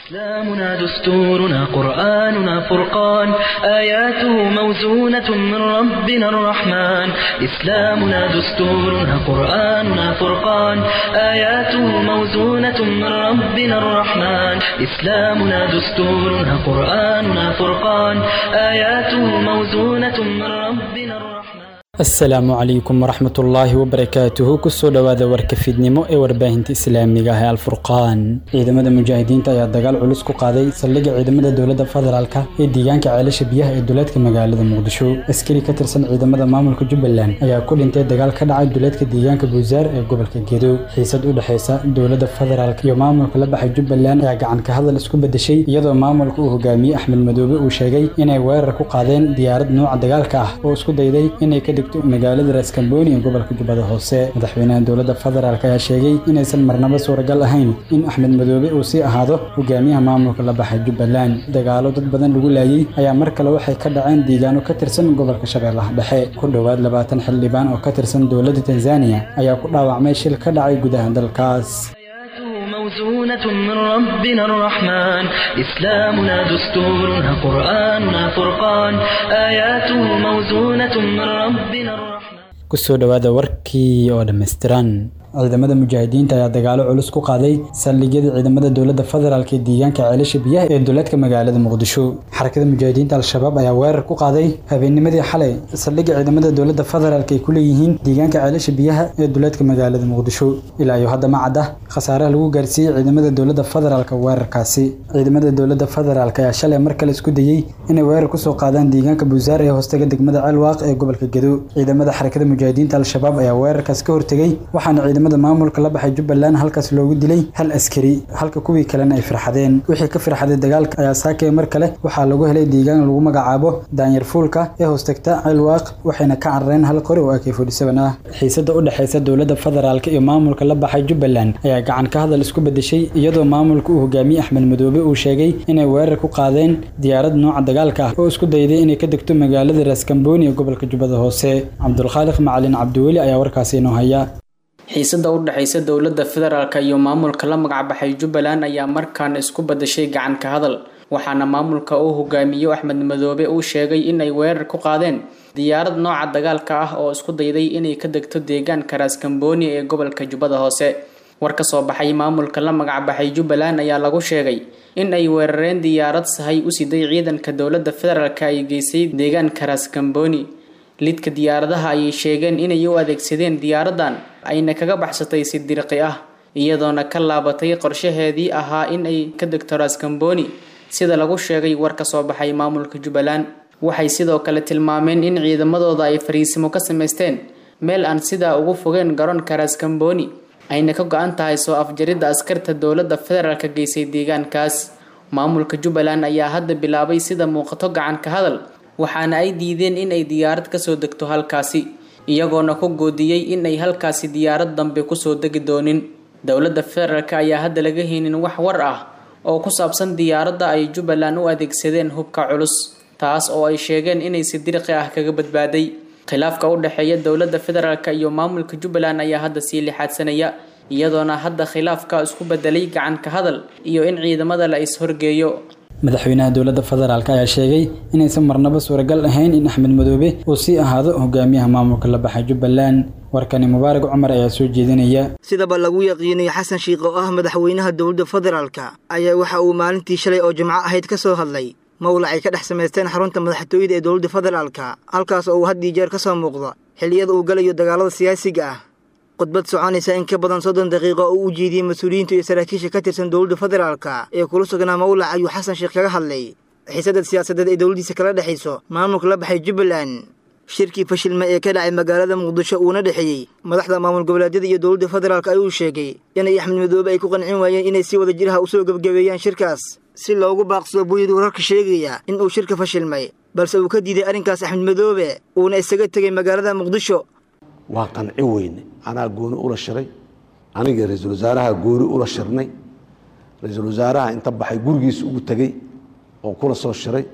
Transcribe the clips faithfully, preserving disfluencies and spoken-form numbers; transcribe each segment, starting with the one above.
إسلامنا دستورنا قرآننا فرقان آياته موزونة من ربنا الرحمن إسلامنا دستورنا قرآننا فرقان آياته موزونة من ربنا الرحمن إسلامنا دستورنا قرآننا فرقان آياته موزونة من ربنا الرحمن. Asalaamu calaykum waraxmatullaahi wabarakaatuhu. Kusoo dhowaada warka fiidnimo ee warbaahinta islaamiga ah ee Alfurqaan. Ciidamada mujaahidiinta ayaa dagaal culus ku qaaday saldhigga ciidamada dowladda federaalka ee deegaanka Ceelasha Biyaha ee duleedka magaalada Muqdisho. Askari ka tirsan ciidamada maamulka Jubbaland ayaa ku dhintay dagaal ka dhacay duleedka deegaanka Buusaar ee gobolka Gedo. Xiisad u dhexeysa dowladda federaalka iyo maamulka la baxay Jubbaland ayaa gacan ka hadal isku bedeshay, iyadoo maamulka uu hogaamiyey Axmed Madoobe uu sheegay inay weerar ku qaadeen diyaarad nooca dagaalka ah oo isku dayday inay ka degto magaalada Raaskambooni ee gobolka Jubbada Hoose. Madaxweynaha dowladda federaalk ayaa sheegay inaysan marnaba suuragal ahayn in Axmed Madoobe uu sii ahaado hogaamiyaha maamulka la baxay Jubbaland. Dagaalo dad badan lagu laayay ayaa mar kale waxay ka dhaceen deegaano ka tirsan gobolka Shabeellaha Dhexe. Ku dhowaad labaatan xildhibaan oo ka tirsan dowladda Tanzania ayaa ku dhaawacmay shil ka dhacay gudaha dalkaas. موزونة من ربنا الرحمن إسلامنا دستورنا قرآننا فرقان آياته موزونة من ربنا الرحمن. Kusoo dhowaada warkii oo dhammaystiran. Ciidamada mujaahidiinta ayaa dagaalo culus ku qaaday saldhigyada ciidamada dowladda federaalk ee deegaanka Ceelasha Biyaha ee duleedka magaalada Muqdisho. Xarakada mujaahidiinta Al-Shabaab ayaa weerar ku qaaday habeennimadii xalay saldhigga ciidamada dowladda federaalk ay ku leeyihiin deegaanka Ceelasha Biyaha ee duleedka magaalada Muqdisho. Ilaa iyo hadda ma cadda khasaaraha lagu gaarsiiyey ciidamada dowladda federaalk weerarkaasi. Ciidamada dowladda federaalk ayaa shalay mar kale isku dayey inay weerar kusoo qaadaan deegaanka Buusaar ee hoostaga degmada Ceelwaaq ee gobolka Gedo. Ciidamada xarakada mujaahidiinta Al-Shabaab ayaa weerarkaas ka hortegay, waxaana ciidamada maamulka la baxay Jubbaland halkaas loogu dilay hal askari, halka kuwii kalena ay firxadeen. Wixii ka firxaday dagaalka ayaa saakay mar kale waxaa lagu helay deegaan lagu magacaabo Daanyar Fuulka ee hoostagta Ceelwaaq, waxayna ka carareen hal qori oo A K forty seven ah. Xiisada u dhexeysa dowladda federaalka iyo maamulka la baxay Jubbaland ayaa gacan ka hadal isku bedeshay, iyadoo maamulka uu hogaamiyey Axmed Madoobe uu sheegay inay weerar ku qaadeen diyaarad nooca dagaalka ah oo isku dayday inay ka degto magaalada Raaskambooni ee gobolka Jubbada Hoose. Cabdulkhaaliq Macalin Cabdiweli ayaa warkaasi inoo haya. Xiisada u dhaxaysa dowladda federaalka iyo maamulka la magac baxay Jubbaland ayaa markaan isku badashay gacan ka hadal, waxaana maamulka uu hogaamiyo Axmed Madoobe uu sheegay in ay weerar ku qaadeen diyaarad nooca dagaalka ah oo isku dayday inay ka degto deegaanka Raaskambooni ee gobolka Jubbada Hoose. War ka soo baxay maamulka la magac baxay Jubbaland ayaa lagu sheegay in ay weerareen diyaarad sahay u siday ciidanka dowladda federaalka ay geysay deegaanka Raaskambooni. Lidka diyaaradaha ayay sheegeen inay u adeegsadeen diyaaradan ayna kaga baxsatay si dirqi ah, iyadoona ka laabatay qorshaheedii ahaa in ay ka degto Raaskambooni, sida lagu sheegay war ka soo baxay maamulka Jubbaland. Waxay sidoo kale tilmaameen in ciidamadooda ay fariisimo ka samaysteen meel aan sidaa ugu fogeen garoonka Raaskambooni, ayna ka go'an tahay soo afjaridda askarta dowladda federaalka geysay deegaankaas. Maamulka Jubbaland ayaa hadda bilaabay sida muuqato gacan ka hadal, waxaana ay diideen in ay diyaarad ka soo degto halkaasi, iyagoona ku goodiyey in ay halkaasi diyaarad dambe kusoo degi doonin. Dowladda federaalka ayaa hadda laga haynin wax war ah oo ku saabsan diyaaradda ay Jubbaland u adeegsadeen hubka culus, taas oo ay sheegeen inay si dirqi ah kaga badbaaday. Khilaafka u dhexeeya dowladda federaalka iyo maamulka Jubbaland ayaa hadda sii lixaadsanaya, iyadoona hadda khilaafka isku bedelay gacan ka hadal iyo in ciidamada la is horgeeyo. Madaxweynaha dowladda federaalk ayaa sheegay inaysan marnaba suuragal ahayn in Axmed Madoobe uu sii ahaado hogaamiyaha maamulka la baxay Jubbaland. Warkani Mubaarak Cumar ayaa soo jeedinaya. Sidaba lagu yaqiinay Xasan Sheikh oo ah madaxweynaha dowladda federaalka ayaa waxa uu maalintii shalay oo Jimco ahayd ka soo hadlay mowlac ay ka dhex samaysteen xarunta madaxtooyada ee dowladda federaalka, halkaas oo uu had iyo jeer ka soo muuqdo xilliyada uu galayo dagaalada siyaasiga ah. Khudbad soconaysa in ka badan soddon daqiiqo oo u jeediyey mas-uuliyiinta iyo saraakiisha ka tirsan dowladda federaalka ee kula sugnaa mowlac ayuu Xasan Sheikh kaga hadlay xiisadda siyaasadeed ee dowladdiisa kala dhexayso maamulka la baxay Jubbaland. Shirkii fashilma ee ka dhacay magaalada Muqdisho uuna dhexeeyey madaxda maamul goboleedyada iyo dowladda federaalka ayuu sheegay inay Axmed Madoobe ay ku qancin waayeen inay si wada jiraha usoo gebgabeeyaan shirkaas si loogu baaqsado buyid wararka sheegaya in uu shirka fashilmay, balse uu ka diiday arrinkaas Axmed Madoobe uuna isaga tegay magaalada Muqdisho. Waa qanci weyne, anaa gooni ula shiray, aniga ra-iisul wasaaraha gooni ula shirnay. Ra-iisul wasaaraha inta baxay gurigiisa ugu tegey oo kula soo shiray,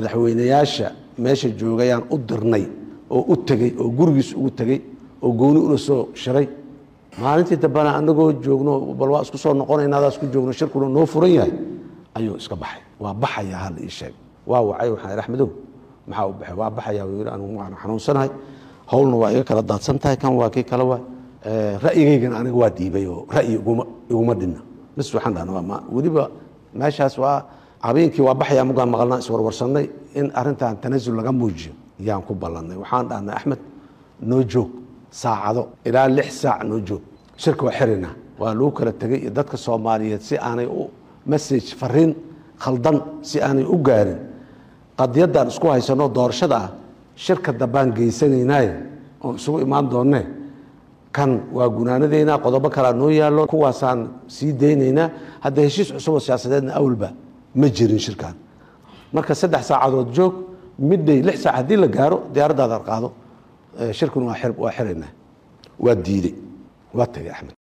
madaxweynayaasha meesha joogayaan u dirnay oo u tegey oo gurigiisa ugu tegey oo gooni ula soo shiray. Maalintii dambena anagoo joogno bal waa isku soo noqonayna adaa isku joogno, shirkuna noo furan yahay, Ayuu iska baxay. Waa baxayaa hal ii sheeg. Waa wacay, waxaan idhi Axmedow maxaa u baxay? Waa baxayaa wuu yidhi, anigu waan xanuunsanahay, howlna waa iga kala daadsan tahay, kan waa kii kale waa ra'yigaygana aniga waa dhiibay oo ra'yi iguma iguma dhinna bas. Waxaan dhahnaa waa ma weliba meeshaas waa habeenkii waa baxayaa mugaan maqalnaa, iswarwarsannay in arrintan tanasul laga muujiyo yaan ku ballannay. Waxaan dhahnay Axmed noo joog saacado ilaa lix saac noo joog, shirka waa xiraynaa. Waa lagu kala tegey iyo dadka Soomaaliyeed si aanay u message fariin khaldan si aanay u gaarin qadiyaddan isku haysano doorashada ah, shirka dambaan geysanaynaaye oon isugu imaan doonne, kan waa gunaanadeynaa, qodobo kalaa noo yaallo, kuwaasaan sii daynaynaa. Hadda heshiis cusub oo siyaasadeedna awalba ma jirin shirkan. Marka saddex saacadood joog, midday lix saac haddii la gaaro diyaaraddaada qaado, shirkuna waa xiraynaa. Waa diidey, waa tegey Axmed.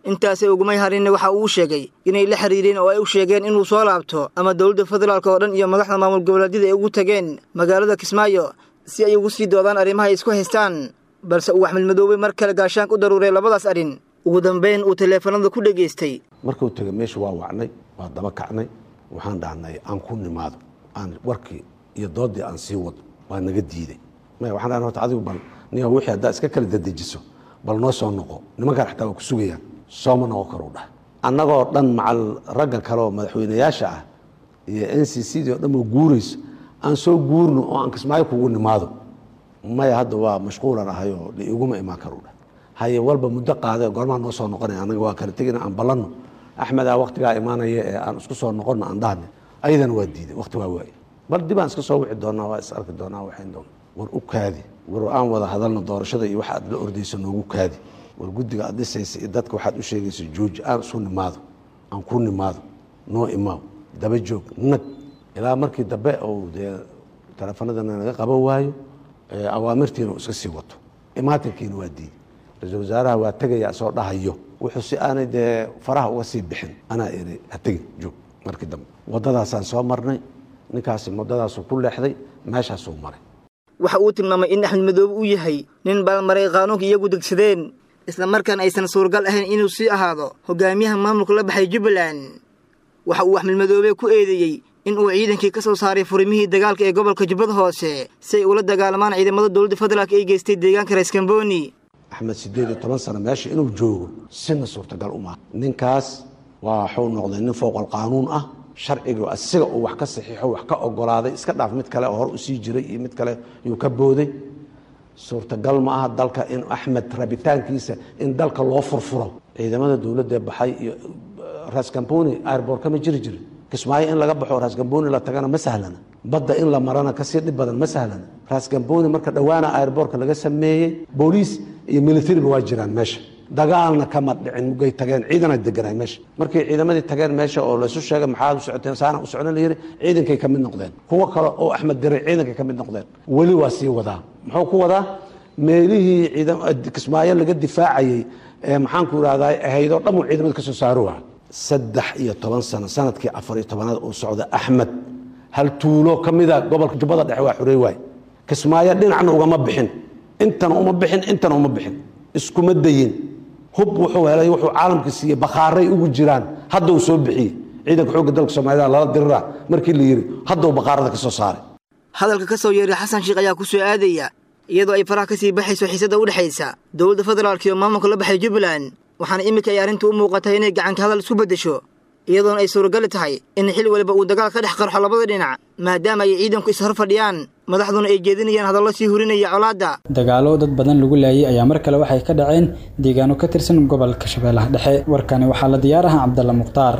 Intaasay ugumay harinna, waxa uu sheegay inay la xiriireen oo ay u sheegeen inuu soo laabto ama dowladda federaalk oo dhan iyo madaxda maamul goboleedyada ay ugu tageen magaalada Kismaayo si ay ugu sii doodaan arrimaha ay isku haystaan, balse uu Axmed Madoobe mar kale gaashaanka u daruuray labadaas arrin, ugu dambeyn uu taleefanada ku dhegaystay. Markuu tegay meesha waa wacnay, waa daba kacnay, waxaan dhahnay aan ku nimaado, aan warkii iyo doodii aan sii wado. Waa naga diiday. Maya, waxaan dhahnay horta adigu bal niyo wixii haddaa iska kala dedejiso bal noo soo noqo, nimankaan xataa waa ku sugayaan. Sooma noqon karuu dhah. Annagoo dhan macal ragga kale oo madaxweynayaasha ah iyo N C C dii oo dhan oo guurayso, aan soo guurno oo aan Kismaayo kugu nimaado. Maya, hadda waa mashquulan ahayoo iguma imaan karuu dhah. Haye, walba muddo qaade, goormaa noo soo noqonaya? Annaga waa kala tegina, aan ballanno, Axmedaa waktigaa imaanaya ee aan isku soo noqonno aan dhahne. Ayadana waa diiday, wakti waa waaye, bal dib aan iska soo wici doonaa, waa is arki doonaa, waxayn doona. War u kaadi, war aan wada hadalno, doorashada iyo waxa aad la ordayso noogu kaadi, war guddiga aad dhisaysa iyo dadka waxaad u sheegaysa jooji, aan isu nimaado, aan ku nimaado, noo imaaw, daba joog nag ilaa markii dambe uu dee teleefanadana naga qaban waayo, awaamirtiina uu iska sii wato, imaatinkiina waa diiday. Ra-iisul wasaaraha waa tegaya soo dhahayo, wuxuu si aanay dee faraha uga sii bixin anaa iri ha tegin, joog. Markii dambe waddadaasaan soo marnay, ninkaasi waddadaasuu ku leexday, meeshaasuu maray. Waxa uu tilmaamay in Axmed Madoobe uu yahay nin baalmaray qaanuunka iyagu degsadeen, isla markaana aysan suuragal ahayn inuu sii ahaado hogaamiyaha maamulka la baxay Jubbaland. Waxa uu Axmed Madoobe ku eedeeyey in uu ciidankii ka soo saaray furimihii dagaalka ee gobolka Jubbada Hoose si ay ula dagaalamaan ciidamada dowladda federaalk ay geystay deegaanka Raiskamboni. Axmed siddeed iyo toban sano meesha inuu joogo sina suurtagal umaha. Ninkaas waa waxuu noqday nin fowqal qaanuun ah, sharciga asiga uu wax ka saxiixo wax ka ogolaaday iska dhaaf, mid kale oo hor usii jiray iyo mid kale yuu ka booday. Suurtagal ma aha dalka in Axmed rabitaankiisa in dalka loo furfuro. Ciidamada dowladda baxay iyo Raskamboni airport kama jiri jirin. Kismaayo in laga baxo Raskamboni la tagana ma sahlana, badda in la marana kasii dhib badan, ma sahlana Raskamboni. Marka dhowaana airportka laga sameeyey, booliis iyo militariba waa jiraan meesha, dagaalna kama dhicin. Mugay tageen ciidana deganay meesha. Markay ciidamadii tageen meesha oo laysu sheegay maxaad u socoteen, saana u socona la yiri, ciidankay ka mid noqdeen. Kuwo kale oo Axmed diray ciidankay ka mid noqdeen. Weli waa sii wadaa. Muxuu ku wadaa? Meelihii ciidan Kismaayo laga difaacayey ee maxaan ku ihahdaa ahaydoo dhan uu ciidamada ka soo saaro. Saddex iyo toban sano, sanadkii afar iyo tobanaad uu socda Axmed, hal tuulo ka mida gobolka Jubbada Dhexe waa xurey waay. Kismaayo dhinacna ugama bixin, intana uma bixin, intana uma bixin, iskuma dayin. Hub wuxuu helay, wuxuu caalamka siiyey, bakhaaray ugu jiraan. Hadda uu soo bixiyey ciidanka xoogga dalka Soomaalida lala diriraa markii la yidhi, hadda uu bakhaarada ka soo saaray. Hadalka ka soo yeeray Xasan Sheekh ayaa ku soo aadaya iyadoo ay faraha kasii baxayso xiisadda u dhexaysa dowladda federaalk iyo maamulka la baxay Jubbaland, waxaana iminka ay arrintu u muuqatay inay gacanka hadal isku beddesho, iyadoona ay suuragali tahay in xil waliba uu dagaal ka dhex qarxo labada dhinac, maadaama ay ciidanku is hor fadhiyaan, madaxduna ay jeedinayaan hadallo sii hurinaya colaadda. Dagaalo dad badan lagu laayay ayaa mar kale waxay ka dhaceen deegaano ka tirsan gobolka Shabeellaha Dhexe. Warkani waxaa la diyaaraha Cabdalla Mukhtaar.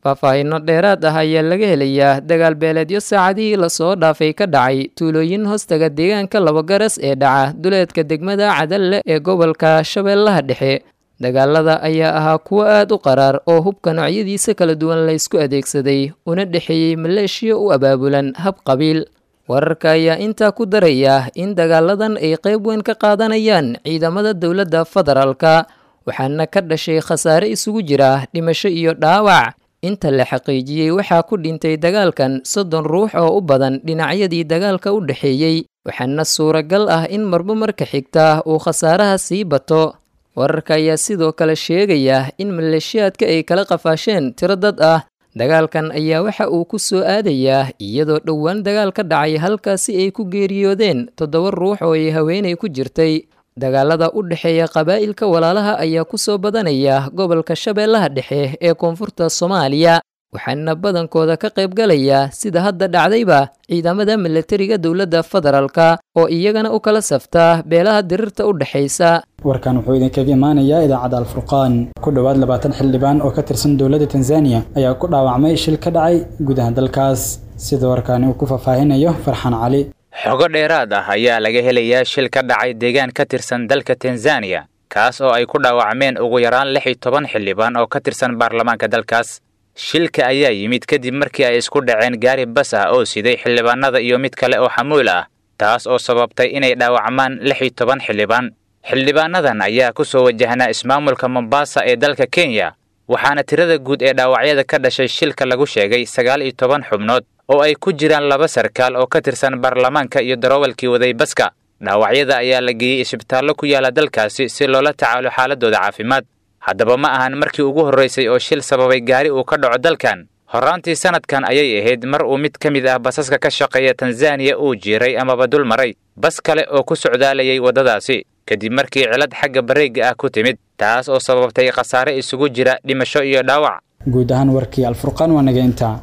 Faahfaahinno dheeraad ah ayaa laga helayaa dagaal beeleedyo saacadihii lasoo dhaafay ka dhacay tuulooyin hoostaga deegaanka Laba Garas ee dhaca duleedka degmada Cadalle ee gobolka Shabeellaha Dhexe. Dagaalada ayaa ahaa kuwo aad u qaraar oo hubka noocyadiisa kala duwan laysku adeegsaday, una dhexeeyey maleeshiya u abaabulan hab qabiil. Wararka ayaa intaa ku daraya in dagaaladan ay qayb weyn ka qaadanayaan ciidamada dowladda federaalka, waxaana ka dhashay khasaare isugu jira dhimasho iyo dhaawac. Inta la xaqiijiyey waxaa ku dhintay dagaalkan soddon ruux oo u badan dhinacyadii dagaalka u dhexeeyey, waxaana suuragal ah in marba marka xigta uu khasaaraha sii bato. Wararka ayaa sidoo kale sheegaya in maleeshiyaadka ay kala qafaasheen tiro dad ah. Dagaalkan ayaa waxa uu ku soo aadayaa iyadoo dhowaan dagaal ka dhacay halkaasi ay ku geeriyoodeen toddoba ruux oo ay haweenay ku jirtay. Dagaalada u dhexeeya qabaa'ilka walaalaha ayaa ku soo badanaya gobolka Shabeellaha Dhexe ee koonfurta Soomaaliya, waxaana badankooda ka qaybgalaya sida hadda dhacdayba ciidamada milatariga dowladda federaalka oo iyagana u kala safta beelaha dirirta u dhexaysa. Warkan wuxuu idinkaga imaanayaa idaacadda Alfurqaan. Ku dhowaad labaatan xildhibaan oo ka tirsan dowladda Tanzania ayaa ku dhaawacmay shil ka dhacay gudaha dalkaas, sida warkaani uu ku faahfaahinayo Farxaan Cali. Xogo dheeraad ah ayaa laga helayaa shil ka dhacay deegaan ka tirsan dalka Tanzania, kaas oo ay ku dhaawacmeen ugu yaraan lix iyo toban xildhibaan oo ka tirsan baarlamaanka dalkaas. Shilka ayaa yimid kadib markii ay isku dhaceen gaari bas ah oo siday xildhibaanada iyo mid kale oo xamuul ah, taas oo sababtay inay dhaawacmaan lix iyo toban xildhibaan. Xildhibaanadan ayaa ku soo wajahnaa ismaamulka Mombasa ee dalka Kenya, waxaana tirada guud ee dhaawacyada ka dhashay shilka lagu sheegay sagaal iyo toban xubnood oo ay ku jiraan laba sarkaal oo ka tirsan baarlamaanka iyo darawalkii waday baska. Dhaawacyada ayaa la geeyey isbitaallo ku yaala dalkaasi si loola tacaalo xaaladooda caafimaad. Haddaba ma ahan markii ugu horraysay oo shil sababay gaari uu ka dhaco dalkan. Horraantii sanadkan ayay ahayd mar uu mid ka mid ah basaska ka shaqeeya Tanzania uu jiiray amaba dul maray bas kale oo ku socdaalayay waddadaasi, kadib markii cilad xagga bareegga ah ku timid, taas oo sababtay khasaare isugu jira dhimasho iyo dhaawac. Guud ahaan warkii Alfurqaan waa naga intaa.